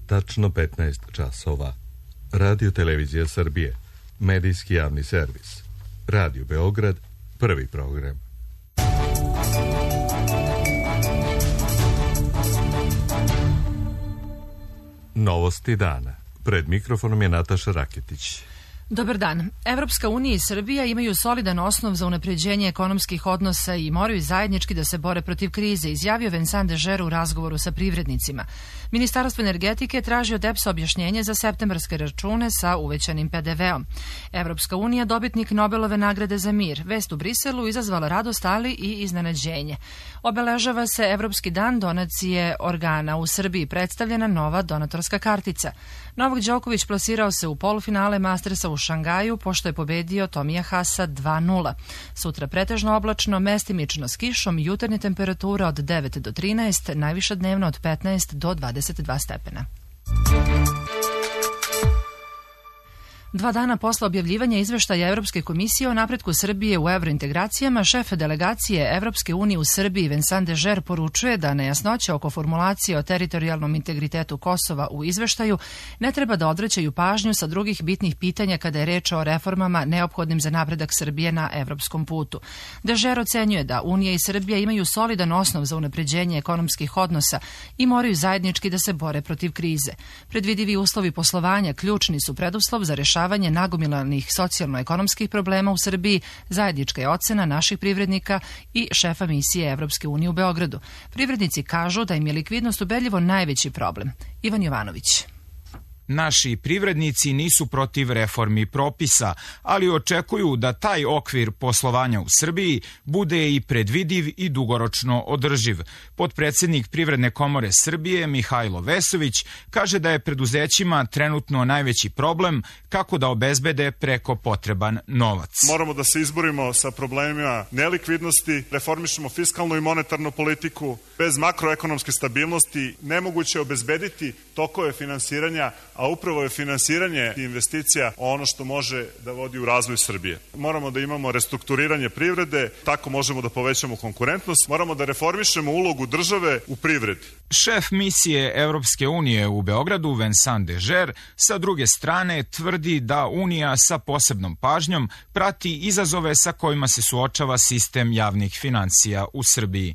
tačno 15 časova. Radio Televizija Srbije, medijski javni servis. Radio Beograd, prvi program. Novosti dana. Pred mikrofonom je Nataša Raketić. Dobar dan. Evropska unija i Srbija imaju solidan osnov za unapređenje ekonomskih odnosa i moraju zajednički da se bore protiv krize, izjavio Vincent Dežer u razgovoru sa privrednicima. Ministarstvo energetike traži od EPS objašnjenje za septembarske račune sa uvećanim PDV-om. Evropska unija dobitnik Nobelove nagrade za mir. Vest u Briselu izazvala radost, ali i iznenađenje. Obeležava se Evropski dan donacije organa. U Srbiji predstavljena nova donatorska kartica. Novak Đoković plasirao se u polufinale Mastersa u Šangaju, pošto je pobedio Tomija Hasa 2:0. Sutra pretežno oblačno, mestimično s kišom, jutarnje temperatura od 9 do 13, najviša dnevna od 15 do 22 stepena. 2 dana posle objavljivanja izveštaja Evropske komisije o napretku Srbije u evrointegracijama, šef delegacije Evropske unije u Srbiji Vincent Dežer poručuje da nejasnoće oko formulacije o teritorijalnom integritetu Kosova u izveštaju ne treba da odvraćaju pažnju sa drugih bitnih pitanja kada je reč o reformama neophodnim za napredak Srbije na evropskom putu. Dežer ocenjuje da Unija i Srbija imaju solidan osnov za unapređenje ekonomskih odnosa i moraju zajednički da se bore protiv krize. Predvidivi uslovi poslovanja ključni su preduslov za rešavanje nagomilanih socijalno-ekonomskih problema u Srbiji, zajednička je ocena naših privrednika i šefa misije Evropske unije u Beogradu. Privrednici kažu da im je likvidnost ubedljivo najveći problem. Ivan Jovanović. Naši privrednici nisu protiv reformi propisa, ali očekuju da taj okvir poslovanja u Srbiji bude i predvidiv i dugoročno održiv. Potpredsednik Privredne komore Srbije Mihajlo Vesović kaže da je preduzećima trenutno najveći problem kako da obezbede preko potreban novac. Moramo da se izborimo sa problemima nelikvidnosti, reformišemo fiskalnu i monetarnu politiku. Bez makroekonomske stabilnosti nemoguće je obezbediti tokove finansiranja, a upravo je finansiranje investicija ono što može da vodi u razvoj Srbije. Moramo da imamo restrukturiranje privrede, tako možemo da povećamo konkurentnost, moramo da reformišemo ulogu države u privredi. Šef misije Evropske unije u Beogradu, Vincent Dežer, sa druge strane tvrdi da Unija sa posebnom pažnjom prati izazove sa kojima se suočava sistem javnih finansija u Srbiji.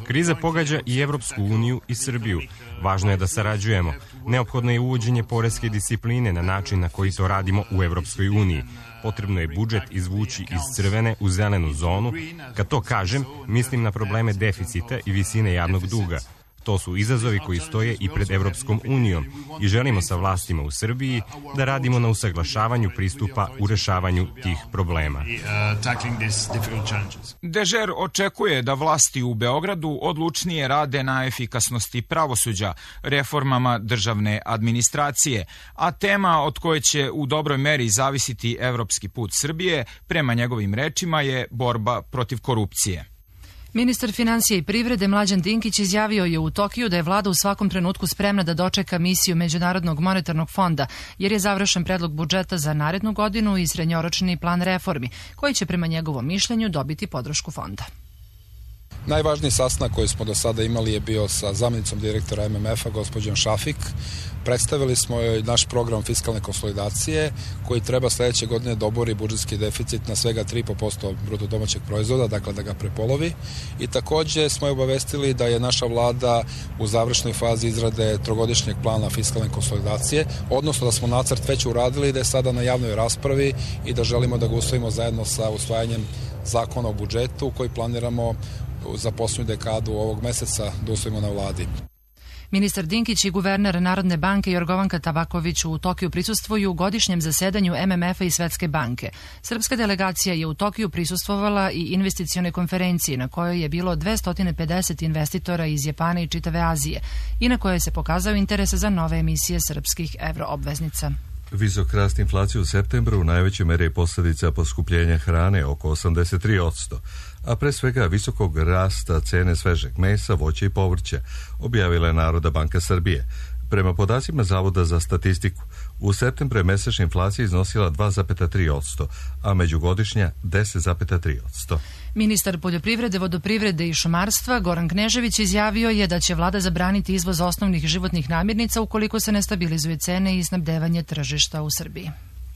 Kriza pogađa i Evropsku uniju i Srbiju. Važno je da sarađujemo. Neophodno je uvođenje poreske discipline na način na koji to radimo u Evropskoj uniji. Potrebno je budžet izvući iz crvene u zelenu zonu. Kad to kažem, mislim na probleme deficita i visine javnog duga. To su izazovi koji stoje i pred Evropskom unijom i želimo sa vlastima u Srbiji da radimo na usaglašavanju pristupa u rešavanju tih problema. Dežer očekuje da vlasti u Beogradu odlučnije rade na efikasnosti pravosuđa, reformama državne administracije, a tema od koje će u dobroj meri zavisiti evropski put Srbije, prema njegovim rečima, je borba protiv korupcije. Ministar finansija i privrede Mlađan Dinkić izjavio je u Tokiju da je vlada u svakom trenutku spremna da dočeka misiju Međunarodnog monetarnog fonda, jer je završen predlog budžeta za narednu godinu i srednjoročni plan reformi, koji će prema njegovom mišljenju dobiti podršku fonda. Najvažniji sastanak koji smo do sada imali je bio sa zamjenicom direktora MMF-a, gospođom Šafik. Predstavili smo joj naš program fiskalne konsolidacije koji treba sledeće godine da obori budžetski deficit na svega 3,5% bruto domaćeg proizvoda, dakle da ga prepolovi. I takođe smo je obavestili da je naša vlada u završnoj fazi izrade trogodišnjeg plana fiskalne konsolidacije, odnosno da smo nacrt već uradili, da je sada na javnoj raspravi i da želimo da ga usvojimo zajedno sa usvajanjem zakona o budžetu koji planiramo za poslednju dekadu ovog meseca da usvojimo na vladi. Ministar Dinkić i guverner Narodne banke Jorgovanka Tabaković u Tokiju prisustvuju godišnjem zasedanju MMF-a i Svetske banke. Srpska delegacija je u Tokiju prisustvovala i investicionoj konferenciji na kojoj je bilo 250 investitora iz Japana i čitave Azije i na kojoj se pokazao interes za nove emisije srpskih evroobveznica. Visok rast inflacije u septembru u najvećoj meri je posljedica poskupljenja hrane oko 83%, a pre svega visokog rasta cene svežeg mesa, voća i povrća, objavila je Narodna banka Srbije. Prema podacima Zavoda za statistiku, u septembru je mesečna inflacija iznosila 2,3%, a međugodišnja 10,3%. Ministar poljoprivrede, vodoprivrede i šumarstva Goran Knežević izjavio je da će vlada zabraniti izvoz osnovnih životnih namirnica ukoliko se ne stabilizuje cene i snabdevanje tržišta u Srbiji.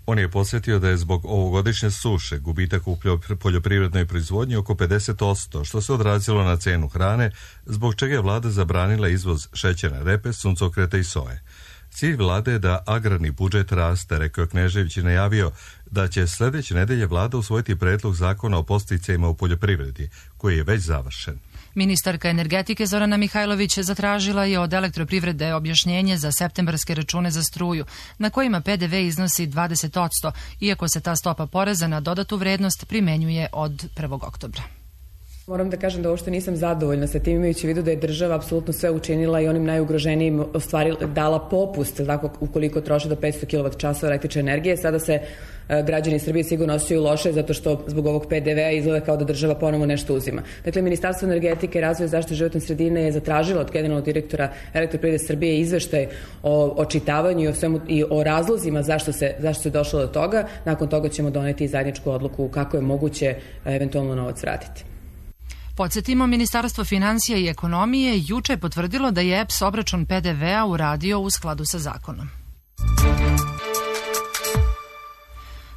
On je podsjetio da je zbog ovogodišnje suše gubitak u poljoprivrednoj proizvodnji oko 50%, što se odrazilo na cenu hrane, zbog čega je vlada zabranila izvoz šećerne repe, suncokreta i soje. Cilj vlade je da agrarni budžet raste, rekao Knežević i najavio da će sljedeće nedelje vlada usvojiti predlog zakona o podsticajima u poljoprivredi, koji je već završen. Ministarka energetike Zorana Mihajlović zatražila je od Elektroprivrede objašnjenje za septembarske račune za struju, na kojima PDV iznosi 20%, iako se ta stopa poreza na dodatu vrednost primenjuje od 1. oktobra. Moram da kažem da uopšte nisam zadovoljna sa tim, imajući u vidu da je država apsolutno sve učinila i onim najugroženijim dala popust, tako, ukoliko troše do 500 kWh električne energije. Sada se građani Srbije sigurno osjećaju loše zato što zbog ovog PDV-a izgleda kao da država ponovo nešto uzima. Dakle, Ministarstvo energetike, razvoja i zaštite životne sredine je zatražilo od generalnog direktora Elektroprivrede Srbije izveštaj o očitavanju i o razlozima zašto se došlo do toga. Nakon toga ćemo doneti zajedničku odluku kako je moguće eventualno novac vratiti. Podsjetimo, Ministarstvo finansija i ekonomije juče je potvrdilo da je EPS obračun PDV-a uradio u skladu sa zakonom.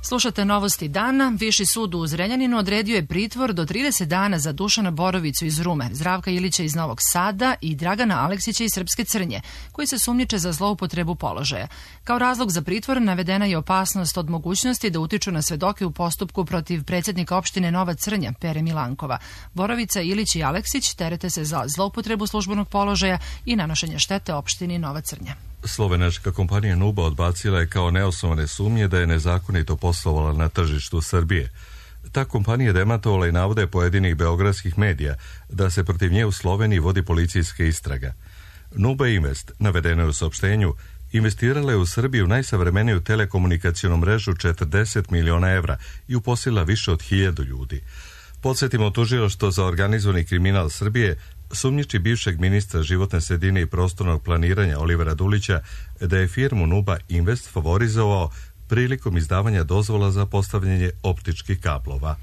Slušate novosti dana. Viši sud u Zrenjaninu odredio je pritvor do 30 dana za Dušana Borovicu iz Rume, Zdravka Ilića iz Novog Sada i Dragana Aleksića iz Srpske Crnje, koji se sumnjiče za zloupotrebu položaja. Kao razlog za pritvor navedena je opasnost od mogućnosti da utiču na svedoke u postupku protiv predsjednika opštine Nova Crnja, Pere Milankova. Borovica, Ilić i Aleksić terete se za zloupotrebu službenog položaja i nanošenje štete opštini Nova Crnja. Slovenačka kompanija Nuba odbacila je kao neosnovane sumnje da je nezakonito poslovala na tržištu Srbije. Ta kompanija demantovala i navode pojedinih beogradskih medija da se protiv nje u Sloveniji vodi policijska istraga. Nuba Invest, navedeno je u saopštenju, investirala je u Srbiju najsavremeniju telekomunikacionu mrežu 40 miliona evra i uposlila više od 1000 ljudi. Podsjetimo, tužilaštvo za organizovani kriminal Srbije sumnjiči bivšeg ministra životne sredine i prostornog planiranja Olivera Dulića da je firmu Nuba Invest favorizovao prilikom izdavanja dozvola za postavljanje optičkih kablova.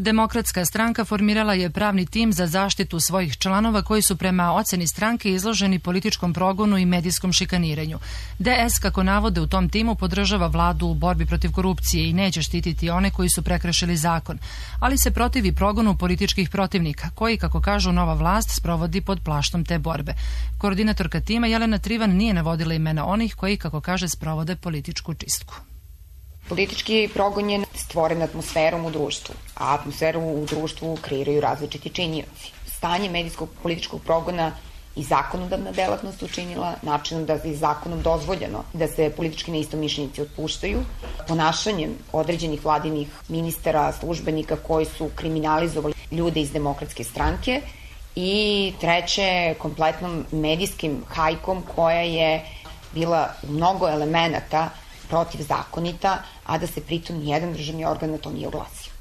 Demokratska stranka formirala je pravni tim za zaštitu svojih članova koji su prema oceni stranke izloženi političkom progonu i medijskom šikaniranju. DS, kako navode u tom timu, podržava vladu u borbi protiv korupcije i neće štititi one koji su prekršili zakon, ali se protivi progonu političkih protivnika, koji, kako kažu, nova vlast sprovodi pod plaštom te borbe. Koordinatorka tima Jelena Trivan nije navodila imena onih koji, kako kaže, sprovode političku čistku. Politički progon je stvoren atmosferom u društvu, a atmosferu u društvu kreiraju različiti činioci. Stanje medijskog političkog progona i zakonodavna delatnost učinila načinom da je zakonom dozvoljeno da se politički neistomišljenici otpuštaju, ponašanjem određenih vladinih ministara, službenika koji su kriminalizovali ljude iz Demokratske stranke i treće, kompletnom medijskim hajkom koja je bila u mnogo elemenata protivzakonita, a da se pritom nijedan državni organ na to nije oglasio.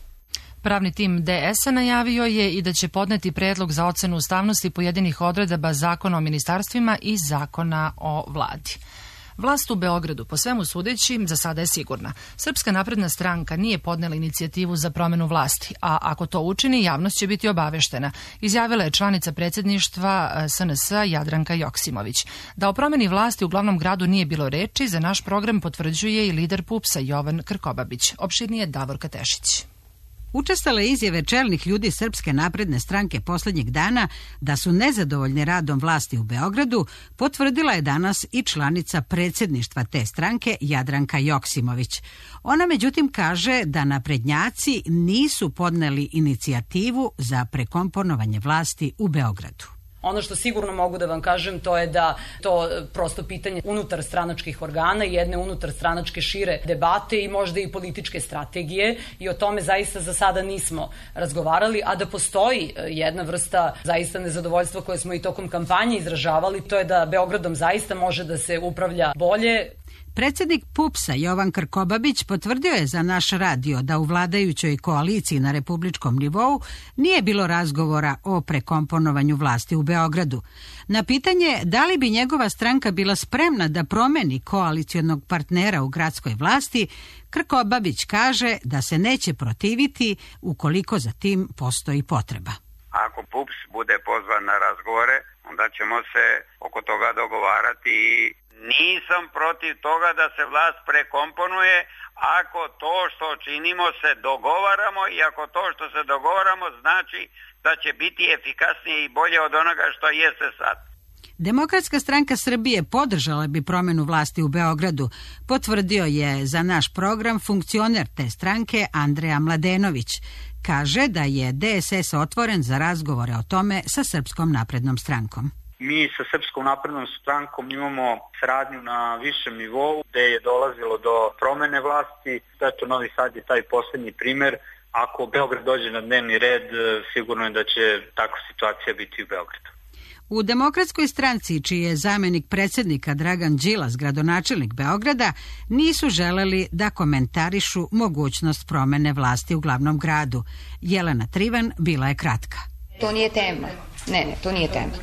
Pravni tim DS-a najavio je i da će podneti predlog za ocenu ustavnosti pojedinih odredaba Zakona o ministarstvima i Zakona o vladi. Vlast u Beogradu, po svemu sudeći, za sada je sigurna. Srpska napredna stranka nije podnela inicijativu za promenu vlasti, a ako to učini, javnost će biti obaveštena, izjavila je članica predsjedništva SNS-a Jadranka Joksimović. Da o promeni vlasti u glavnom gradu nije bilo reči, za naš program potvrđuje i lider PUPS-a Jovan Krkobabić. Opširnije Davorka Tešić. Učestale izjave čelnih ljudi Srpske napredne stranke posljednjeg dana da su nezadovoljni radom vlasti u Beogradu potvrdila je danas i članica predsjedništva te stranke Jadranka Joksimović. Ona međutim kaže da naprednjaci nisu podneli inicijativu za prekomponovanje vlasti u Beogradu. Ono što sigurno mogu da vam kažem to je da to prosto pitanje unutar stranačkih organa i jedne unutar stranačke šire debate i možda i političke strategije i o tome zaista za sada nismo razgovarali, a da postoji jedna vrsta zaista nezadovoljstva koje smo i tokom kampanje izražavali, to je da Beogradom zaista može da se upravlja bolje. Predsjednik PUPS-a Jovan Krkobabić potvrdio je za naš radio da u vladajućoj koaliciji na republičkom nivou nije bilo razgovora o prekomponovanju vlasti u Beogradu. Na pitanje da li bi njegova stranka bila spremna da promeni koalicionog partnera u gradskoj vlasti, Krkobabić kaže da se neće protiviti ukoliko za tim postoji potreba. Ako PUPS bude pozvan na razgovore, onda ćemo se oko toga dogovarati. Nisam protiv toga da se vlast prekomponuje ako to što činimo se dogovaramo i ako to što se dogovaramo znači da će biti efikasnije i bolje od onoga što jeste sad. Demokratska stranka Srbije podržala bi promenu vlasti u Beogradu, potvrdio je za naš program funkcioner te stranke Andreja Mladenović. Kaže da je DSS otvoren za razgovore o tome sa Srpskom naprednom strankom. Mi sa Srpskom naprednom strankom imamo saradnju na višem nivou gde je dolazilo do promene vlasti. Eto, Novi Sad je taj poslednji primer. Ako Beograd dođe na dnevni red, sigurno je da će takva situacija biti u Beogradu. U Demokratskoj stranci, čiji je zamenik predsjednika Dragan Đilas, gradonačelnik Beograda, nisu želeli da komentarišu mogućnost promene vlasti u glavnom gradu. Jelena Trivan bila je kratka. To nije tema. Ne, to nije tema.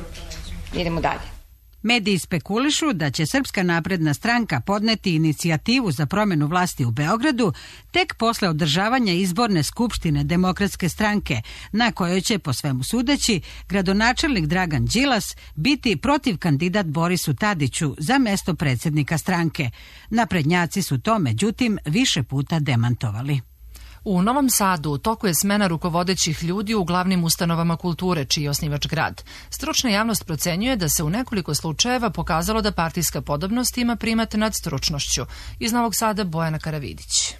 Idemo dalje. Mediji spekulišu da će Srpska napredna stranka podneti inicijativu za promjenu vlasti u Beogradu tek posle održavanja izborne skupštine Demokratske stranke, na kojoj će, po svemu sudeći, gradonačelnik Dragan Đilas biti protiv kandidat Borisu Tadiću za mesto predsjednika stranke. Naprednjaci su to, međutim, više puta demantovali. U Novom Sadu u toku je smena rukovodećih ljudi u glavnim ustanovama kulture, čiji je osnivač grad. Stručna javnost procenjuje da se u nekoliko slučajeva pokazalo da partijska podobnost ima primat nad stručnošću. Iz Novog Sada Bojana Karavidić.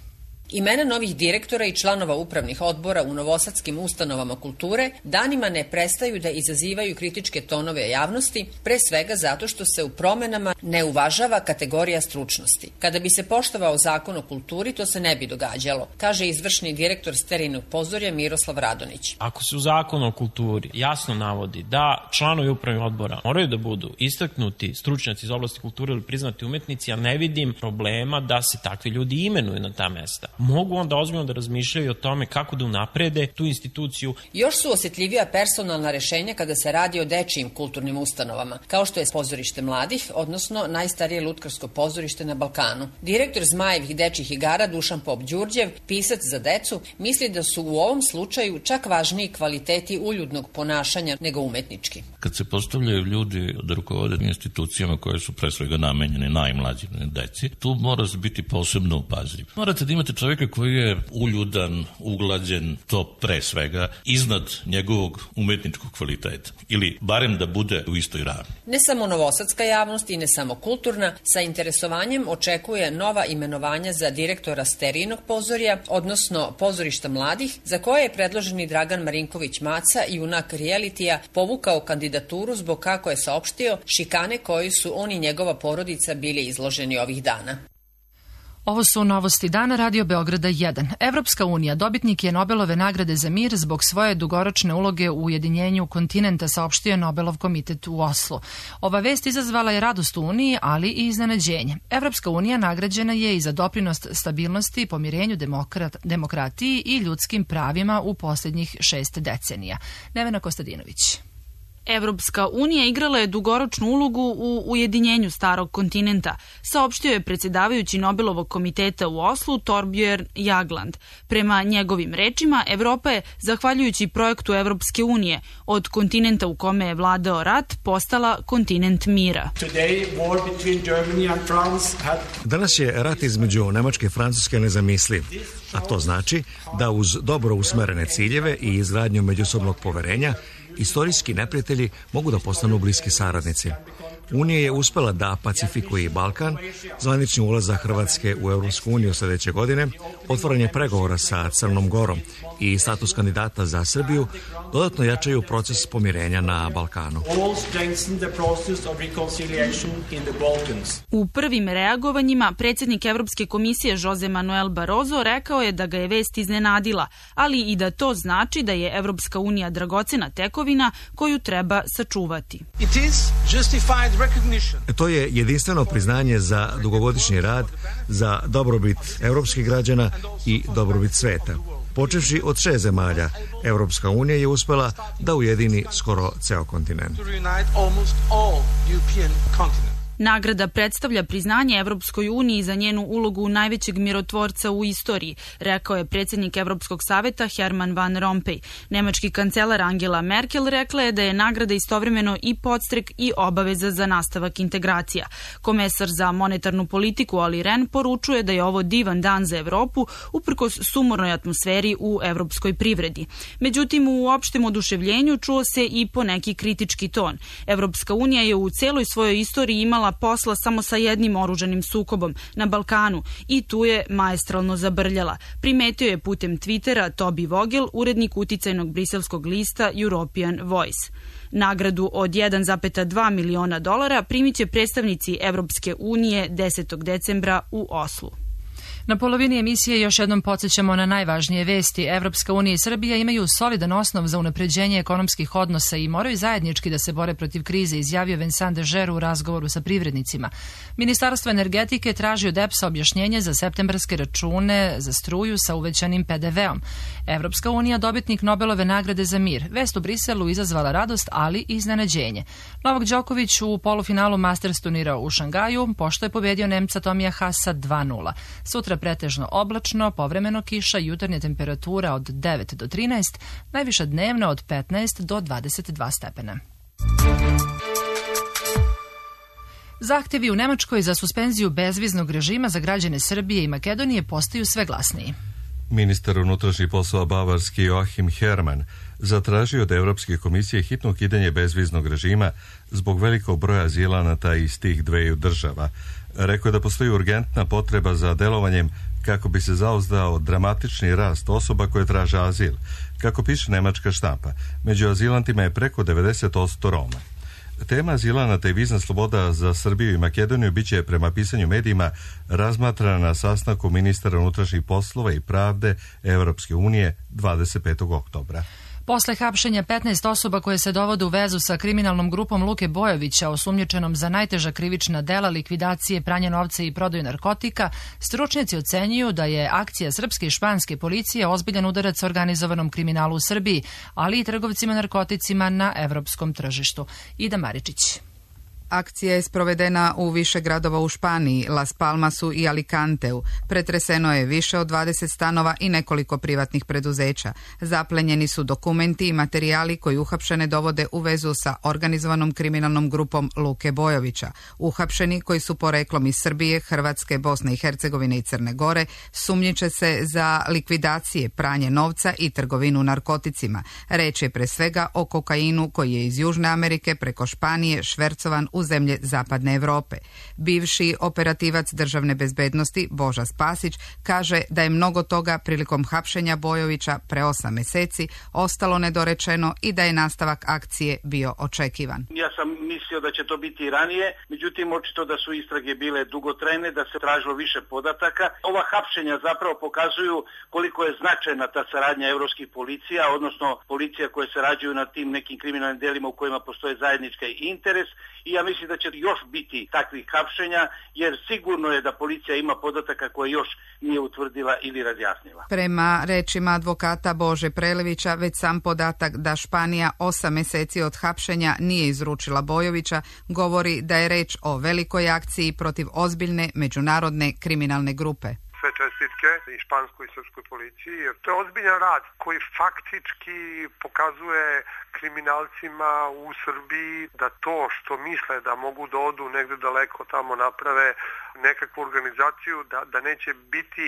Imena novih direktora i članova upravnih odbora u novosadskim ustanovama kulture danima ne prestaju da izazivaju kritičke tonove javnosti, pre svega zato što se u promenama ne uvažava kategorija stručnosti. Kada bi se poštovao zakon o kulturi, to se ne bi događalo, kaže izvršni direktor Sterinog pozorja Miroslav Radonić. Ako se u zakonu o kulturi jasno navodi da članovi upravnih odbora moraju da budu istaknuti stručnjaci iz oblasti kulture ili priznati umetnici, ja ne vidim problema da se takvi ljudi imenuju na ta mesta. Mogu onda ozbiljno da razmišljaju o tome kako da unaprede tu instituciju. Još su osjetljivija personalna rešenja kada se radi o dečijim kulturnim ustanovama, kao što je pozorište mladih, odnosno najstarije lutkarsko pozorište na Balkanu. Direktor Zmajevih dečjih igara Dušan Pop Đurđev, pisac za decu, misli da su u ovom slučaju čak važniji kvaliteti uljudnog ponašanja nego umetnički. Kad se postavljaju ljudi da rukovode institucijama koje su pre svega namenjene najmlađim deci, tu mora biti posebno upazljiv. Morate da imate čovjeka koji je uljudan, uglađen, to pre svega, iznad njegovog umetničkog kvaliteta. Ili barem da bude u istoj ravni. Ne samo novosadska javnost i ne samo kulturna, sa interesovanjem očekuje nova imenovanja za direktora Sterinog pozorja, odnosno pozorišta mladih, za koje je predloženi Dragan Marinković Maca, junak realitija, povukao kandidaturu zbog, kako je saopštio, šikane koji su on i njegova porodica bili izloženi ovih dana. Ovo su novosti dana Radio Beograda 1. Evropska unija dobitnik je Nobelove nagrade za mir zbog svoje dugoročne uloge u ujedinjenju kontinenta, saopštio Nobelov komitet u Oslu. Ova vest izazvala je radost u Uniji, ali i iznenađenje. Evropska unija nagrađena je i za doprinos stabilnosti, pomirenju, demokratiji i ljudskim pravima u posljednjih 6 decenija. Nevena Kostadinović. Evropska unija igrala je dugoročnu ulogu u ujedinjenju starog kontinenta, saopštio je predsjedavajući Nobelovog komiteta u Oslu Torbjörn Jagland. Prema njegovim rečima, Evropa je, zahvaljujući projektu Evropske unije, od kontinenta u kome je vladao rat, postala kontinent mira. Danas je rat između Nemačke i Francuske nezamisliv, a to znači da uz dobro usmerene ciljeve i izgradnju međusobnog poverenja istorijski neprijatelji mogu da postanu bliski saradnici. Unija je uspela da pacifikuje i Balkan, zvanični ulazak Hrvatske u Europsku uniju sljedeće godine, otvaranje pregovora sa Crnom Gorom i status kandidata za Srbiju dodatno jačaju proces pomirenja na Balkanu. U prvim reagovanjima predsjednik Evropske komisije Jose Manuel Barroso rekao je da ga je vest iznenadila, ali i da to znači da je Evropska unija dragocena tekovina koju treba sačuvati. It is justified To je jedinstveno priznanje za dugogodišnji rad, za dobrobit evropskih građana i dobrobit sveta. Počevši od 6 zemalja, Evropska unija je uspela da ujedini skoro ceo kontinent. Nagrada predstavlja priznanje Evropskoj uniji za njenu ulogu najvećeg mirotvorca u istoriji, rekao je predsjednik Evropskog saveta Herman Van Rompuy. Nemački kancelar Angela Merkel rekla je da je nagrada istovremeno i podstrek i obaveza za nastavak integracija. Komesar za monetarnu politiku Olli Rehn poručuje da je ovo divan dan za Evropu uprkos sumornoj atmosferi u evropskoj privredi. Međutim, u opštem oduševljenju čuo se i poneki kritički ton. Evropska unija je u celoj svojoj istoriji imala posla samo sa jednim oružanim sukobom na Balkanu i tu je maestralno zabrljala. Primetio je putem Twittera Toby Vogel, urednik uticajnog briselskog lista European Voice. Nagradu od 1,2 miliona dolara primit će predstavnici Evropske unije 10. decembra u Oslu. Na polovini emisije još jednom podsjećamo na najvažnije vesti. Evropska unija i Srbija imaju solidan osnov za unapređenje ekonomskih odnosa i moraju zajednički da se bore protiv krize, izjavio Vincent Dežer u razgovoru sa privrednicima. Ministarstvo energetike traži od EPS-a objašnjenje za septembarske račune za struju sa uvećanim PDV-om. Evropska unija dobitnik Nobelove nagrade za mir. Vest u Briselu izazvala radost, ali i iznenađenje. Novak Đoković u polufinalu Masters turnira u Šangaju, pošto je pobedio Nemca Tomija Haasa 2:0. Sutra pretežno oblačno, povremeno kiša, jutarnja temperatura od 9 do 13, najviša dnevna od 15 do 22 stepena. Zahtevi u Nemačkoj za suspenziju bezviznog režima za građane Srbije i Makedonije postaju sve glasniji. Ministar unutrašnjih poslova bavarski Joachim Herrmann zatražio od Evropske komisije hitno ukidanje bezviznog režima zbog velikog broja azilanata iz tih dveju država. Rekao je da postoji urgentna potreba za delovanjem kako bi se zauzdao dramatični rast osoba koje traže azil. Kako piše nemačka štampa, među azilantima je preko 90% Roma. Tema azilanata i vizna sloboda za Srbiju i Makedoniju biće prema pisanju medijima razmatrana na sastanku ministara unutrašnjih poslova i pravde Evropske unije 25. oktobra. Posle hapšenja 15 osoba koje se dovode u vezu sa kriminalnom grupom Luke Bojovića, osumnjičenom za najteža krivična dela, likvidacije, pranje novca i prodaju narkotika, stručnjaci ocenjuju da je akcija srpske i španske policije ozbiljan udarac organizovanom kriminalu u Srbiji, ali i trgovcima narkoticima na evropskom tržištu. Ida Maričić. Akcija je sprovedena u više gradova u Španiji, Las Palmasu i Alicanteu. Pretreseno je više od 20 stanova i nekoliko privatnih preduzeća. Zaplenjeni su dokumenti i materijali koji uhapšene dovode u vezu sa organizovanom kriminalnom grupom Luke Bojovića. Uhapšeni, koji su poreklom iz Srbije, Hrvatske, Bosne i Hercegovine i Crne Gore, sumnjiče se za likvidacije, pranje novca i trgovinu narkoticima. Reč je pre svega o kokainu koji je iz Južne Amerike preko Španije švercovan u zemlje Zapadne Evrope. Bivši operativac državne bezbednosti Boža Spasić kaže da je mnogo toga prilikom hapšenja Bojovića pre 8 meseci ostalo nedorečeno i da je nastavak akcije bio očekivan. Ja sam mislio da će to biti i ranije, međutim očito da su istrage bile dugotrajne, da se tražilo više podataka. Ova hapšenja zapravo pokazuju koliko je značajna ta saradnja evropskih policija, odnosno policija koje sarađuju na tim nekim kriminalnim delima u kojima postoje zajednički interes, i ja mislim da će još biti takvih hapšenja, jer sigurno je da policija ima podataka koje još nije utvrdila ili razjasnila. Prema rečima advokata Bože Prelevića, već sam podatak da Španija 8 meseci od hapšenja nije izručila Bojovića govori da je reč o velikoj akciji protiv ozbiljne međunarodne kriminalne grupe. Sve čestitke i španskoj i srpskoj policiji, jer to je ozbiljan rad koji faktički pokazuje kriminalcima u Srbiji da to što misle da mogu da odu negde daleko tamo naprave nekakvu organizaciju, da neće biti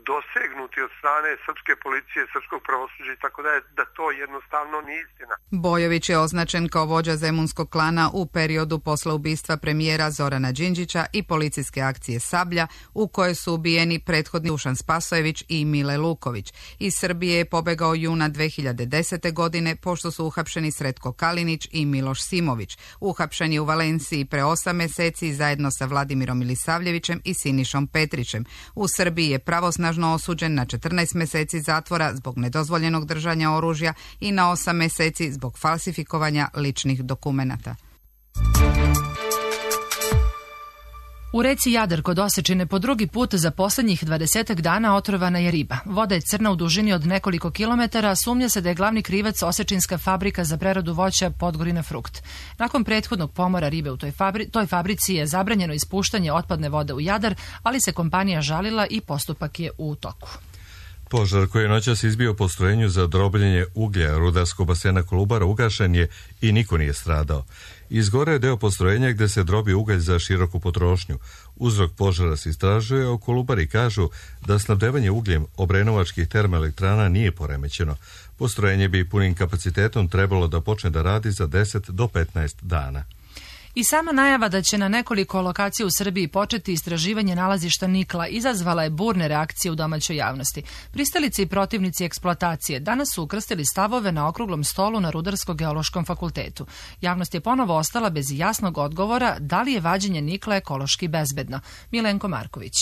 dosegnuti od strane srpske policije, srpskog pravosuđa i tako da to jednostavno nije istina. Bojović je označen kao vođa zemunskog klana u periodu posle ubistva premijera Zorana Đinđića i policijske akcije Sablja, u kojoj su ubijeni prethodni Dušan Spasojević i Mile Luković. Iz Srbije je pobegao juna 2010. godine, pošto su uhapšeni Sretko Kalinić i Miloš Simović. Uhapšen je u Valenciji pre 8 meseci zajedno sa Vladimirom Milisavljevićem i Sinišom Petrićem. U Srbiji je pravosnažno osuđen na 14 meseci zatvora zbog nedozvoljenog držanja oružja i na 8 meseci zbog falsifikovanja ličnih dokumenata. U reci Jadar kod Osečine po drugi put za poslednjih 20 dana otrovana je riba. Voda je crna u dužini od nekoliko kilometara, sumnja se da je glavni krivac osečinska fabrika za preradu voća Podgorina Frukt. Nakon prethodnog pomora ribe u toj fabrici je zabranjeno ispuštanje otpadne vode u Jadar, ali se kompanija žalila i postupak je u toku. Požar koji je noćas izbio postrojenju za drobljenje uglja rudarskog basena Kolubara ugašen je i niko nije stradao. Izgoreo je deo postrojenja gde se drobi ugalj za široku potrošnju. Uzrok požara se istražuje, a Kolubari kažu da snabdevanje ugljem obrenovačkih termoelektrana nije poremećeno. Postrojenje bi punim kapacitetom trebalo da počne da radi za 10 do 15 dana. I sama najava da će na nekoliko lokacija u Srbiji početi istraživanje nalazišta nikla izazvala je burne reakcije u domaćoj javnosti. Pristalice i protivnici eksploatacije danas su ukrstili stavove na okruglom stolu na Rudarsko-geološkom fakultetu. Javnost je ponovo ostala bez jasnog odgovora da li je vađenje nikla ekološki bezbedno. Milenko Marković.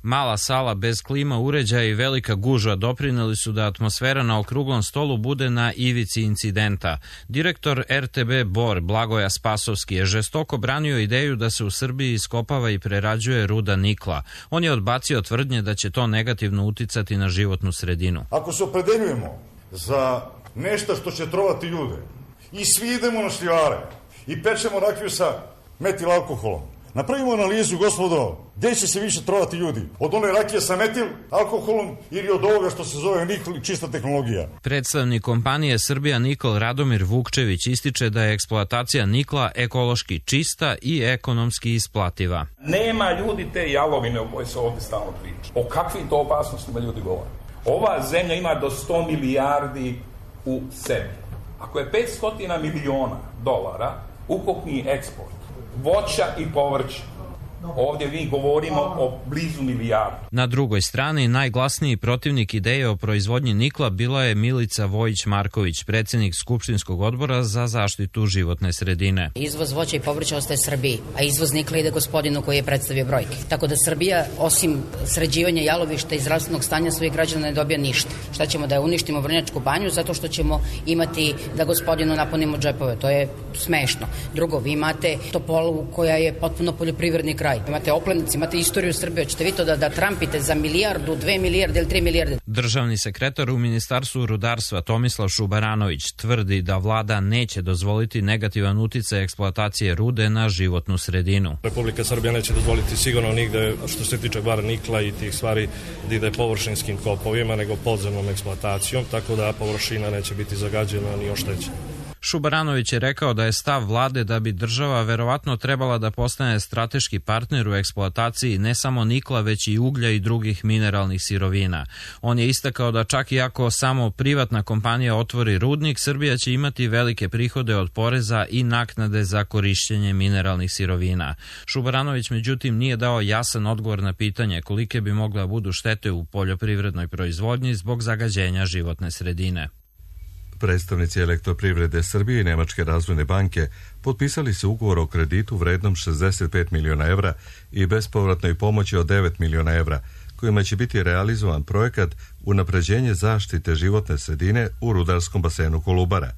Mala sala bez klima uređaja i velika gužva doprineli su da atmosfera na okruglom stolu bude na ivici incidenta. Direktor RTB Bor Blagoja Spasovski je žestoko branio ideju da se u Srbiji iskopava i prerađuje ruda nikla. On je odbacio tvrdnje da će to negativno uticati na životnu sredinu. Ako se opredeljujemo za nešto što će trovati ljude i svi idemo na šljivare i pečemo rakiju sa metil alkoholom, napravimo analizu, gospodo, gdje će se više trovati ljudi? Od one rakije sa metil alkoholom ili od ovoga što se zove nikl, čista tehnologija? Predstavnik kompanije Srbija Nikl Radomir Vukčević ističe da je eksploatacija nikla ekološki čista i ekonomski isplativa. Nema ljudi te jalovine o kojoj se ovdje stalno priča. O kakvim to opasnostima ljudi govore? Ova zemlja ima do 100 milijardi u sebi. Ako je 500 miliona dolara ukupni eksport voća i povrća, ovdje mi govorimo o blizu milijardu. Na drugoj strani, najglasniji protivnik ideje o proizvodnji nikla bila je Milica Vojić-Marković, predsjednik Skupštinskog odbora za zaštitu životne sredine. Izvoz voća i povrća ostaje Srbiji, a izvoz nikla ide gospodinu koji je predstavio brojke. Tako da Srbija, osim sređivanja jalovišta i zdravstvenog stanja svojih građana, ne dobija ništa. Šta ćemo, da je uništimo Vrnjačku banju zato što ćemo imati da gospodinu napunimo džepove? To je smešno. Drugo, vi imate Topolu koja je potpuno poljoprivredni kraj. Imate Oplenici, imate istoriju Srbije. Hoćete vi to da trampite za milijardu, 2 milijarde ili 3 milijarde? Državni sekretar u Ministarstvu rudarstva Tomislav Šubaranović tvrdi da vlada neće dozvoliti negativan uticaj eksploatacije rude na životnu sredinu. Republika Srbija neće dozvoliti sigurno nigde što se tiče bara nikla i tih stvari da ide površinskim kopovima, nego podzemnom eksploatacijom, tako da površina neće biti zagađena ni oštećena. Šubaranović je rekao da je stav vlade da bi država verovatno trebala da postane strateški partner u eksploataciji ne samo nikla, već i uglja i drugih mineralnih sirovina. On je istakao da čak i ako samo privatna kompanija otvori rudnik, Srbija će imati velike prihode od poreza i naknade za korišćenje mineralnih sirovina. Šubaranović međutim nije dao jasan odgovor na pitanje kolike bi mogla budu štete u poljoprivrednoj proizvodnji zbog zagađenja životne sredine. Predstavnici Elektroprivrede Srbije i Nemačke razvojne banke potpisali su ugovor o kreditu vrednom 65 miliona evra i bespovratnoj pomoći od 9 miliona evra, kojima će biti realizovan projekat unapređenje zaštite životne sredine u rudarskom basenu Kolubara.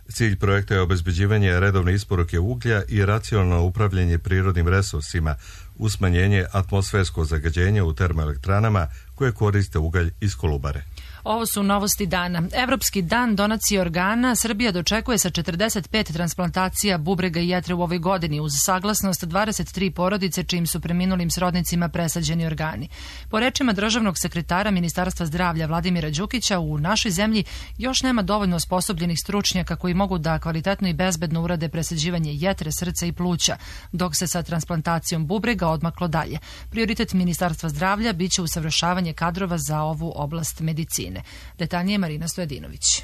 Cilj projekta je obezbeđivanje redovne isporuke uglja i racionalno upravljanje prirodnim resursima uz smanjenje atmosferskog zagađenja u termoelektranama koje koriste ugalj iz Kolubare. Ovo su novosti dana. Evropski dan donacije organa Srbija dočekuje sa 45 transplantacija bubrega i jetre u ovoj godini uz saglasnost 23 porodice čijim su preminulim srodnicima presađeni organi. Po rečima državnog sekretara Ministarstva zdravlja Vladimira Đukića, u našoj zemlji još nema dovoljno osposobljenih stručnjaka koji mogu da kvalitetno i bezbedno urade presađivanje jetre, srca i pluća, dok se sa transplantacijom bubrega odmaklo dalje. Prioritet Ministarstva zdravlja biće usavršavanje kadrova za ovu oblast medicine. Detaljnije Marina Stojadinović.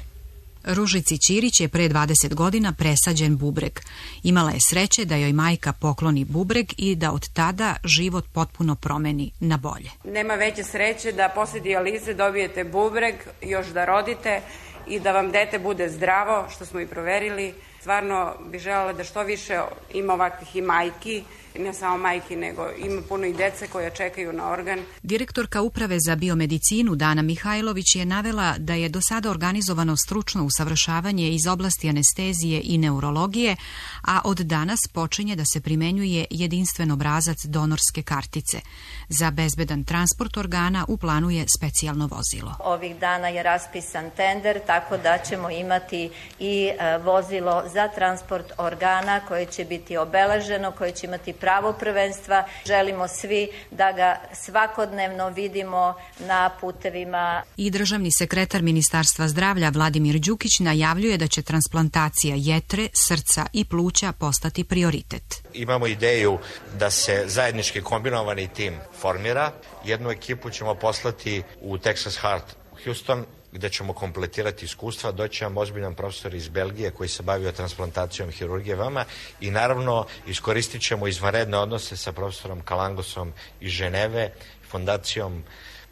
Ružici Ćirić je pre 20 godina presađen bubreg. Imala je sreće da joj majka pokloni bubreg i da od tada život potpuno promeni na bolje. Nema veće sreće da posle dijalize dobijete bubreg, još da rodite i da vam dete bude zdravo, što smo i proverili. Stvarno bih želela da što više ima ovakvih i majki, ne samo majki, nego ima puno i dece koja čekaju na organ. Direktorka Uprave za biomedicinu Dana Mihajlović je navela da je do sada organizovano stručno usavršavanje iz oblasti anestezije i neurologije, a od danas počinje da se primenjuje jedinstven obrazac donorske kartice. Za bezbedan transport organa u planu je specijalno vozilo. Ovih dana je raspisan tender, tako da ćemo imati i vozilo za transport organa koje će biti obeleženo, koje će imati pravo prvenstva. Želimo svi da ga svakodnevno vidimo na putevima. I državni sekretar Ministarstva zdravlja Vladimir Đukić najavljuje da će transplantacija jetre, srca i pluća postati prioritet. Imamo ideju da se zajednički kombinovani tim formira. Jednu ekipu ćemo poslati u Texas Heart u Houston, gde ćemo kompletirati iskustva. Doći vam ozbiljan profesor iz Belgije koji se bavio transplantacijom hirurgije vama i naravno iskoristit ćemo izvanredne odnose sa profesorom Kalangosom iz Ženeve, fondacijom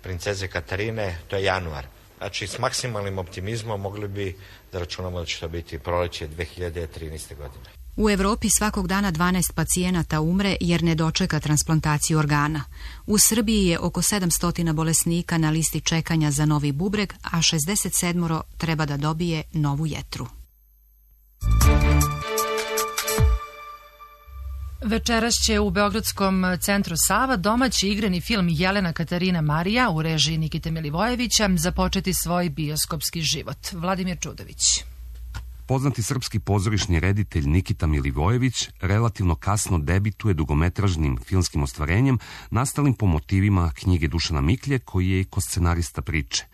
princeze Katarine, to je januar. Znači, s maksimalnim optimizmom mogli bi da računamo da će to biti proleće 2013. godine. U Evropi svakog dana 12 pacijenata umre jer ne dočeka transplantaciju organa. U Srbiji je oko 700 bolesnika na listi čekanja za novi bubreg, a 67 treba da dobije novu jetru. Večeras će u Beogradskom centru Sava domaći igrani film Jelena Katarina Marija u režiji Nikite Milivojevića započeti svoj bioskopski život. Vladimir Čudović. Poznati srpski pozorišni reditelj Nikita Milivojević relativno kasno debituje dugometražnim filmskim ostvarenjem nastalim po motivima knjige Dušana Miklje, koji je i koscenarista priče.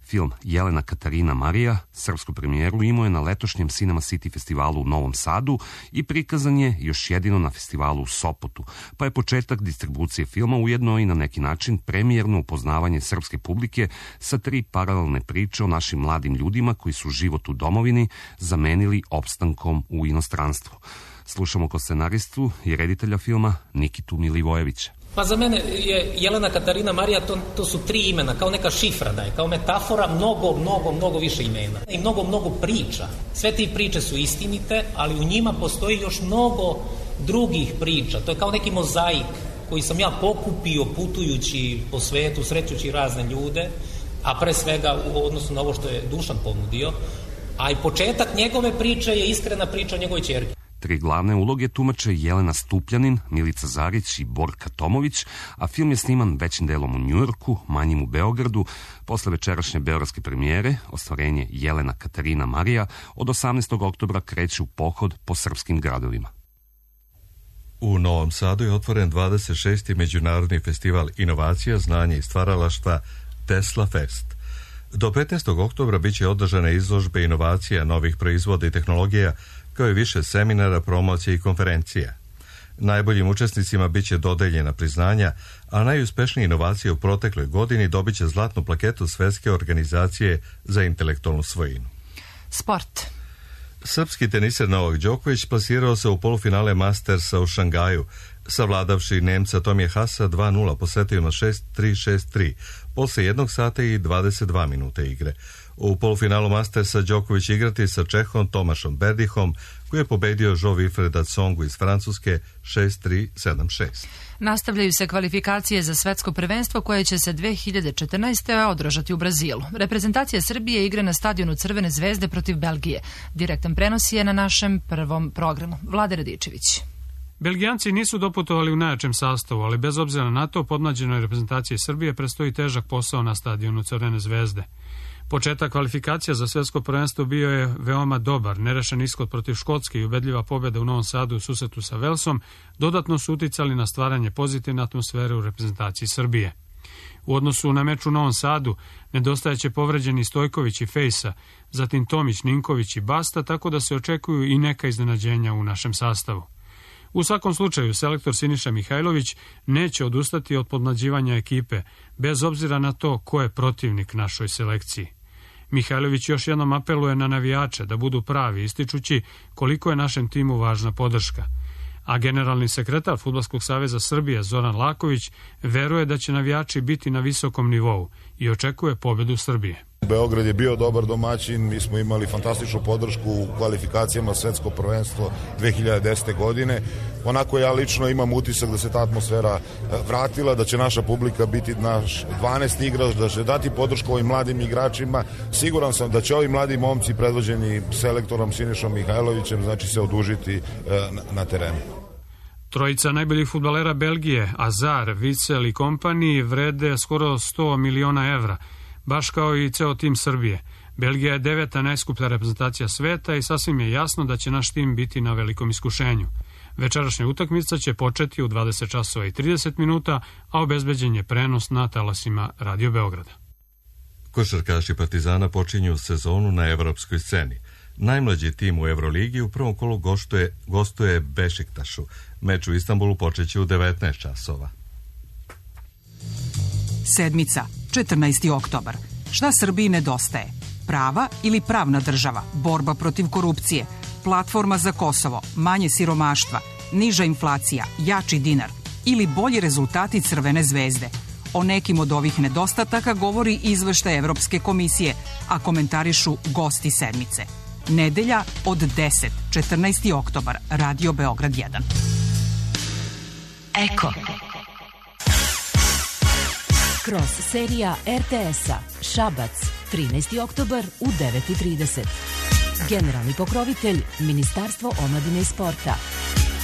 Film Jelena Katarina Marija srpsku premijeru imao je na letošnjem Cinema City festivalu u Novom Sadu i prikazan je još jedino na festivalu u Sopotu, pa je početak distribucije filma ujedno i na neki način premijerno upoznavanje srpske publike sa 3 paralelne priče o našim mladim ljudima koji su život u domovini zamenili opstankom u inostranstvu. Slušamo koscenaristu i reditelja filma Nikitu Milivojevića. Pa za mene je Jelena Katarina Marija, to su 3 imena, kao neka šifra da je, kao metafora mnogo više imena i mnogo priča. Sve te priče su istinite, ali u njima postoji još mnogo drugih priča. To je kao neki mozaik koji sam ja pokupio putujući po svetu, srećući razne ljude, a pre svega u odnosu na ovo što je Dušan ponudio, a i početak njegove priče je iskrena priča o njegovoj ćerki. 3 glavne uloge tumače Jelena Stupljanin, Milica Zarić i Borka Tomović, a film je sniman većim delom u Njujorku, manjim u Beogradu. Posle večerašnje beogradske premijere, ostvarenje Jelena Katarina Marija od 18. oktobra kreće u pohod po srpskim gradovima. U Novom Sadu je otvoren 26. međunarodni festival inovacija, znanja i stvaralaštva Tesla Fest. Do 15. oktobra biće održane izložbe inovacija, novih proizvoda i tehnologija, kao i više seminara, promocije i konferencija. Najboljim učesnicima biće dodeljena priznanja, a najuspješnije inovacije u protekloj godini dobit će zlatnu plaketu Svetske organizacije za intelektualnu svojinu. Sport. Srpski teniser Novak Đoković plasirao se u polufinale Mastersa u Šangaju, savladavši Nemca Tomije Hasa 2-0 po setovima 6-3, 6-3, posle 1 sata i 22 minute igre. U polufinalu Mastersa Đoković igrati sa Čehom Tomašom Berdihom, koji je pobedio Jo-Wilfreda Tsongu iz Francuske 6-3, 7-6. Nastavljaju se kvalifikacije za svetsko prvenstvo koje će se 2014. održati u Brazilu. Reprezentacija Srbije igra na stadionu Crvene zvezde protiv Belgije. Direktan prenos je na našem prvom programu. Vlade Radičević. Belgijanci nisu doputovali u najjačem sastavu, ali bez obzira na to podmlađenoj reprezentaciji Srbije prestoji težak posao na stadionu Crvene zvezde. Početak kvalifikacija za svetsko prvenstvo bio je veoma dobar, nerešen ishod protiv Škotske i ubedljiva pobjeda u Novom Sadu u susretu sa Velsom dodatno su uticali na stvaranje pozitivne atmosfere u reprezentaciji Srbije. U odnosu na meč u Novom Sadu nedostajaće povređeni Stojković i Fejsa, zatim Tomić, Ninković i Basta, tako da se očekuju i neka iznenađenja u našem sastavu. U svakom slučaju, selektor Siniša Mihajlović neće odustati od podmlađivanja ekipe, bez obzira na to ko je protivnik našoj selekciji. Mihajlović još jednom apeluje na navijače da budu pravi, ističući koliko je našem timu važna podrška. A generalni sekretar Fudbalskog saveza Srbije Zoran Laković veruje da će navijači biti na visokom nivou i očekuje pobedu Srbije. Beograd je bio dobar domaćin, mi smo imali fantastičnu podršku u kvalifikacijama svetsko prvenstvo 2010. godine. Onako ja lično imam utisak da se ta atmosfera vratila, da će naša publika biti naš 12. igrač, da će dati podršku ovim mladim igračima. Siguran sam da će ovi mladi momci predvođeni selektorom Sinišom Mihajlovićem znači se odužiti na terenu. Trojica najboljih fudbalera Belgije, Azar, Vicel i kompani, vrede skoro 100 miliona evra, baš kao i ceo tim Srbije. Belgija je 9. najskuplja reprezentacija sveta i sasvim je jasno da će naš tim biti na velikom iskušenju. Večerašnja utakmica će početi u 20 časova i 30 minuta, a obezbeđen je prenos na talasima Radio Beograda. Košarkaši Partizana počinju sezonu na evropskoj sceni. Najmlađi tim u Euroligi u prvom kolu gostuje Bešiktašu. Meč u Istanbulu počeće u 19 časova. Sedmica, 14. oktobar. Šta Srbiji nedostaje? Prava ili pravna država? Borba protiv korupcije? Platforma za Kosovo? Manje siromaštva? Niža inflacija? Jači dinar? Ili bolji rezultati Crvene zvezde? O nekim od ovih nedostataka govori izveštaj Evropske komisije, a komentarišu gosti sedmice. Nedelja od 10, 14. oktobar, Radio Beograd 1. Eko. Kroz serija RTS-a Šabac, 13. oktobar u 9:30. Generalni pokrovitelj Ministarstvo omladine i sporta.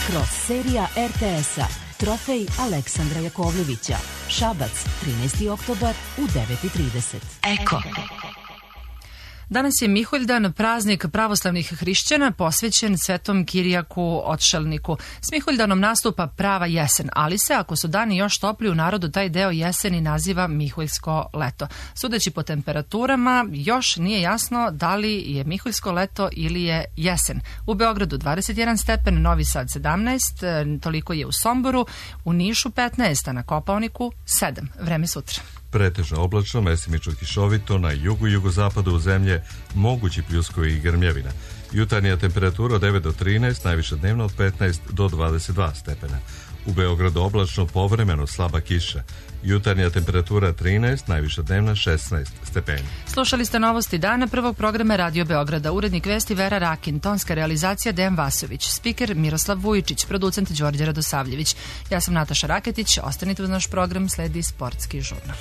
Kroz serija RTS-a Trofej Aleksandra Jakovljevića. Šabac, 13. oktobar u 9:30. Eko. Danas je Miholjdan, praznik pravoslavnih hrišćana posvećen Svetom Kirijaku Otšelniku. S Miholjdanom nastupa prava jesen, ali se, ako su dani još topli, u narodu taj deo jeseni naziva Miholjsko leto. Sudeći po temperaturama, još nije jasno da li je Miholjsko leto ili je jesen. U Beogradu 21 stepen, Novi Sad 17, toliko je u Somboru, u Nišu 15, a na Kopaoniku 7. Vreme sutra. Pretežno oblačno, mestimično kišovito, na jugu i jugozapadu zemlje mogući pljuskovi i grmljevina. Jutarnja temperatura od 9 do 13, najviša dnevna od 15 do 22 stepena. U Beogradu oblačno, povremeno slaba kiša. Jutarnja temperatura 13, najviša dnevna 16 stepeni. Slušali ste novosti dana prvog programa Radio Beograda. Urednik vesti Vera Rakin, tonska realizacija Dejan Vasović, spiker Miroslav Vujičić, producent Đorđe Radosavljević. Ja sam Nataša Raketić, ostanite uz naš program, sledi sportski žurnal.